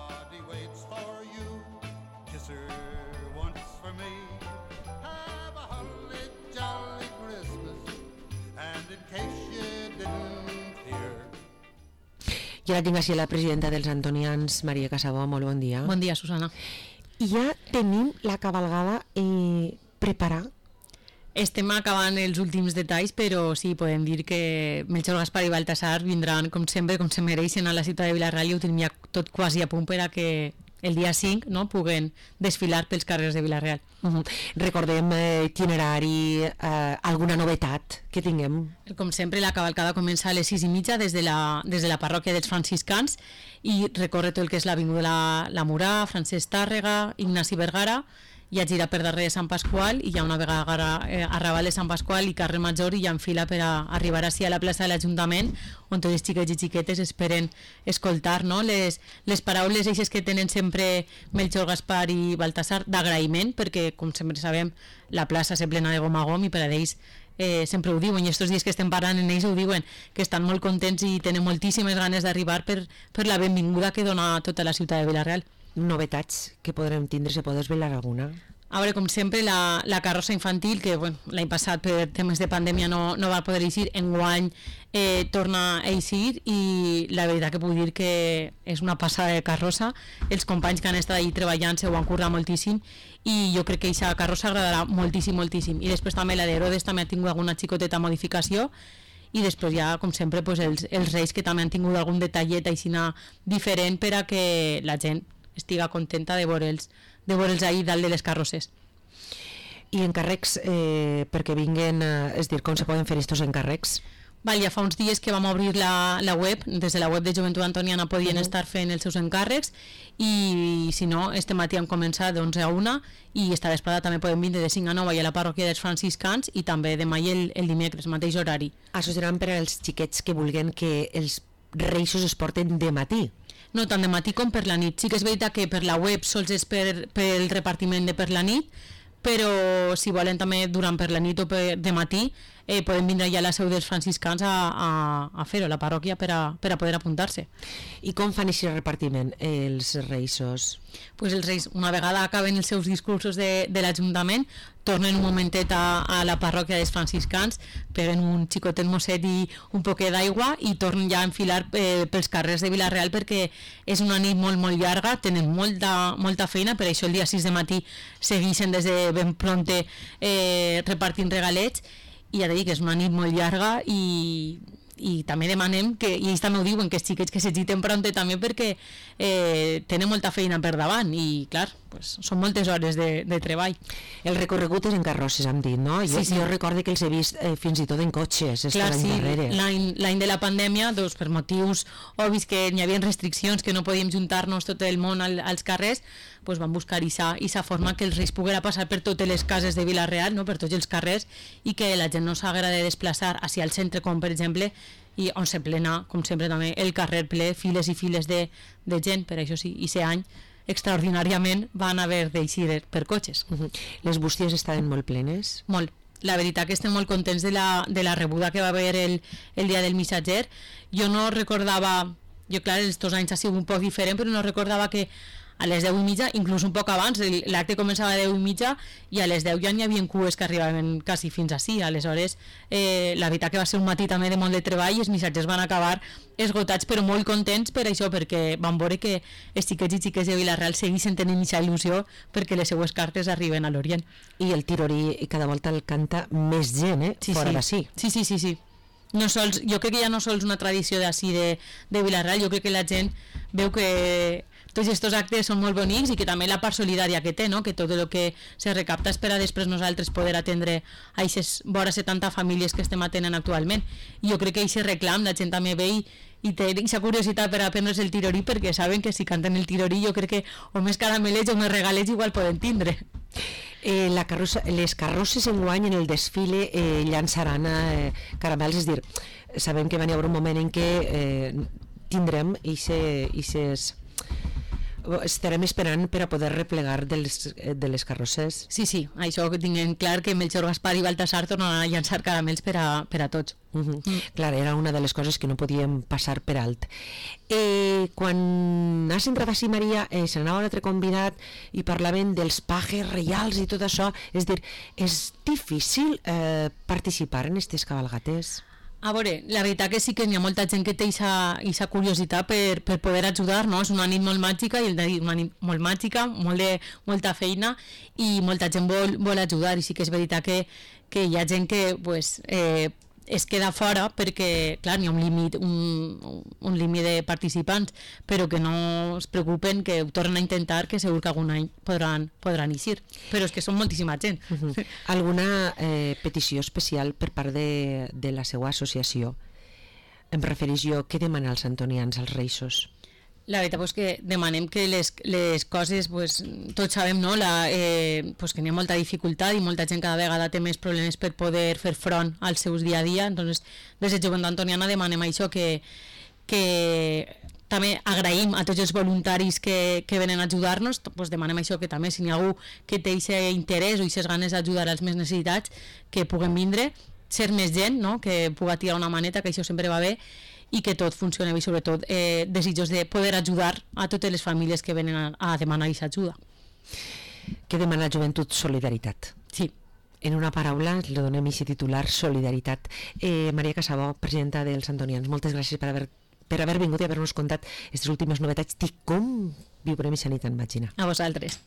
Everybody waits for you. Kiss her once for me. Have a holly jolly Christmas. And in case you didn't hear. I ara tinc així la presidenta dels Antonians, Maria Casabó. Molt bon dia. Bon dia, Susana. I ja tenim la cabalgada preparada. Estem acabant els últims detalls, però sí, podem dir que Melchor, Gaspar i Baltasar vindran, com sempre, com se mereixen a la ciutat de Vila-real, i ho tenim ja tot quasi a punt per a que el dia 5 puguen desfilar pels carrers de Vila-real. Recordem itinerari, alguna novetat que tinguem. Com sempre, la cavalcada comença a les 6:30 des de la parròquia dels franciscans i recorre tot el que és l'avinguda La Murà, Francesc Tàrrega, Ignasi Vergara, i gira per darrere de Sant Pasqual i hi ha una vegada arrabal de Sant Pasqual i carrer Major i ja enfila per a arribar així a la plaça de l'Ajuntament, on tots els xiquets i xiquetes esperen escoltar les paraules eixes que tenen sempre Melchor, Gaspar i Baltasar d'agraïment, perquè com sempre sabem la plaça se plena de gom a gom i per a ells sempre ho diuen, i estos dies que estem parlant en ells ho diuen, que estan molt contents i tenen moltíssimes ganes d'arribar per la benvinguda que dona tota la ciutat de Vila-real. Novetats que podrem tindre, se pot desvelar alguna? A veure, com sempre, la carrossa infantil, que l'any passat per temes de pandèmia no va poder eixir, enguany torna a eixir, i la veritat que puc dir que és una passada de carrossa. Els companys que han estat allà treballant se ho han currat moltíssim i jo crec que aquesta carrossa agradarà moltíssim, moltíssim. I després també la d'Herodes també ha tingut alguna xicoteta modificació, i després ja, com sempre, els Reis, que també han tingut algun detallet aixina diferent per a que la gent estiga contenta de veure'ls ahir dalt de les carrosses. I encàrrecs perquè vinguen, és dir, com se poden fer estos encàrrecs? Ja fa uns dies que vam obrir la web, des de la web de Joventut Antoniana podien estar fent els seus encàrrecs, i si no, este matí han començat d'11 a 1 i esta vesprada també poden vindre de 5 a 9 a la parròquia dels franciscans, i també demà i el dimecres, mateix horari. Això seran per als xiquets que vulguen que els reixos es porten de matí. No tant de matí com per la nit. Sí que és veritat que per la web sols és per el repartiment de per la nit, però si volen també durant per la nit o de matí poden vindre ja a la seu dels franciscans a fer-ho, a la parròquia, per a poder apuntar-se. I com fan aquest repartiment els reixos? Pues els reis, una vegada acaben els seus discursos de l'Ajuntament, tornen un momentet a la parròquia dels franciscans, peguen un xicotet mosset i un poquet d'aigua i tornen ja a enfilar pels carrers de Vila-real, perquè és una nit molt, molt llarga, tenen molta feina, per això el dia 6 de matí segueixen des de ben pronte repartint regalets, i ja dic que és una nit molt llarga, i també demanem que, i ells també ho diuen, que els xiquets que s'agiten prompte també, perquè tenen molta feina per davant i clar, pues, són moltes hores de treball. El recorregut és en carrosses, hem dit, no? Jo recordo que els he vist fins i tot en cotxes. Clar, sí, l'any de la pandèmia, per motius obvis que hi havia restriccions, que no podíem juntar-nos tot el món als carrers, pues van buscar aquesta forma que els Reis poguera passar per totes les cases de Vila-real, per tots els carrers, i que la gent no s'haguera de desplaçar hacia el centre, com per exemple, i on se plena, com sempre també, el carrer ple, files i files de gent. Per això sí, i aquest any extraordinàriament van haver d'eixir per cotxes. Les bústies estaven molt plenes? Molt. La veritat que estem molt contents de la rebuda que va haver el dia del missatger. Jo no recordava, clar, estos anys ha sigut un poc diferent, però no recordava que a les 10:30, inclús un poc abans, l'acte començava a 10:30 i a les 10 ja n'hi havia cues que arribaven quasi fins ací. Aleshores, la veritat que va ser un matí també de molt de treball i els missatgers van acabar esgotats, però molt contents per això, perquè van veure que els xiquets i xiques de Vila-real segueixen tenint aquesta il·lusió perquè les seues cartes arriben a l'Orient. I el tirorí cada volta el canta més gent, fora d'ací. Sí. No sols, jo crec que ja no sols una tradició d'ací de Vila-real, jo crec que la gent veu que tots aquests actes són molt bonics i que també la part solidària que té, que tot el que se recapta és per a després nosaltres poder atendre a aquestes vora 70 famílies que estem atenent actualment. I jo crec que aquest reclam la gent també ve i té aquesta curiositat per aprendre's el tirorí, perquè saben que si canten el tirorí jo crec que o més caramelets o més regalets igual poden tindre. Les carrosses enguany en el desfile llançaran caramels, és dir, sabem que va haver un moment en què tindrem aquestes estarem esperant per a poder replegar de les carrosses. Sí, això que tinguem clar que Melchor, Gaspar i Baltasar tornaran a llançar caramels per a tots. Clar, era una de les coses que no podíem passar per alt. Quan has entrat així, Maria, se n'anava un altre convidat i parlaven dels pajes reials i tot això. És dir, és difícil participar en aquestes cabalgates? A veure, la veritat que sí que hi ha molta gent que té aquesta curiositat per poder ajudar, no? És una nit molt màgica, i una nit molt màgica, molta feina, i molta gent vol ajudar, i sí que és veritat que hi ha gent que pues, es queda fora perquè, clar, hi ha un límit de participants, però que no es preocupen, que ho tornen a intentar, que segur que algun any podran eixir, però és que són moltíssima gent. Alguna petició especial per part de la seva associació? Em refereix jo, què demana els antonians als Reixos? La veritat és que demanem que les coses, pues, tots sabem, no? Pues que hi ha molta dificultat i molta gent cada vegada té més problemes per poder fer front als seus dia a dia. Entonces, des de Joventut Antoniana demanem això, que també agraïm a tots els voluntaris que venen a ajudar-nos, pues demanem això, que també si hi ha algú que té aquest interès o aquestes ganes d'ajudar als més necessitats, que puguem vindre, ser més gent, no? Que puga tirar una maneta, que això sempre va bé, i que tot funcioni bé, sobretot desitjos de poder ajudar a totes les famílies que venen a demanar aquesta ajuda. Què demana Joventut? Solidaritat. Sí. En una paraula, li donem aquest titular, solidaritat. Maria Casabó, presidenta dels Antonians, moltes gràcies per haver vingut i haver-nos contat aquestes últimes novetats de com viurem aquesta nit en Màgina. A vosaltres.